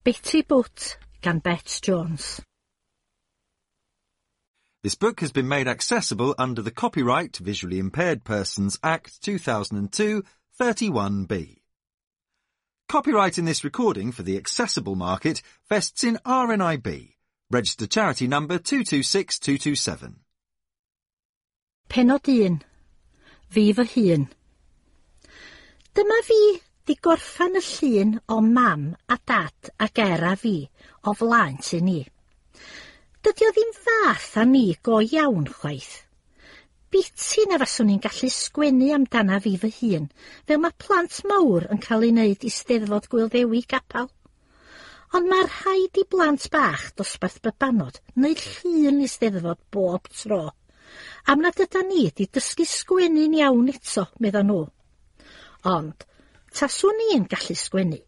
Betty Boot gan Bet Jones. This book has been made accessible under the Copyright Visually Impaired Persons Act 2002 31B. Copyright in this recording for the accessible market vests in RNIB, registered charity number 226227. Pennod 1. Fi fy hun. Dyma fi 'di gorffan y llun o mam a dad a Ger a fi o flaen tŷ ni. Dydy o ddim fath â ni go iawn chwaith. Biti na faswn i'n gallu sgwennu amdana fi fy hun, fel mae plant mawr yn cael ei wneud i Steddfod Gŵyl Ddewi Capel. Ond mae rhaid i blant bach dosbarth babanod wneud llun i Steddfod bob tro, am nad ydan ni 'di dysgu sgwennu'n iawn eto, medda nhw. Ond, taswn i'n gallu sgwennu,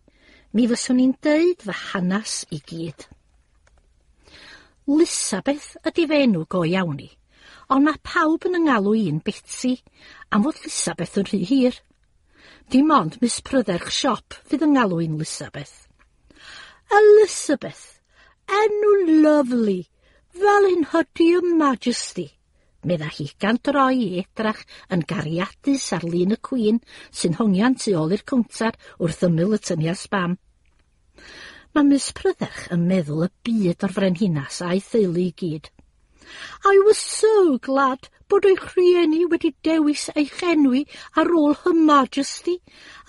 mi fyswn i'n deud fy hanas i gyd. Lisabeth ydy fy enw go iawn i, ond mae pawb yn 'y ngalw i'n Betsi, am fod Lisabeth yn rhy hir. Dim ond Miss Prydderch Siop fydd yn ngalw i'n Lisabeth. Elizabeth, enw lyfli, fel un Her Dear Majesty, medda hi gan droi i edrach yn gariadus ar lun y Queen sy'n hongian tu ôl i'r cownter wrth ymyl y tynia sbam. Mae Miss Prydderch yn meddwl y byd o'r frenhinas a'i theulu i gyd. I was so glad bod eich rhieni wedi dewis eich enwi ar ôl Her Majesty,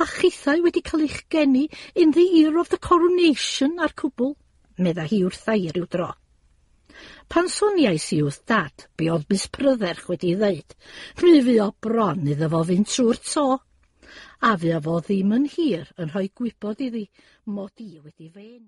a chithau wedi cael eich geni in the year of the coronation a'r cwbl, medda hi wrtha i ryw dro. Pan soniais i wrth Dad be oedd Miss Prydderch wedi ddeud, mi fuo bron iddo fo fynd trwy'r to. A fuo fo ddim yn hir yn rhoi gwybod iddi mod i wedi fy enwi.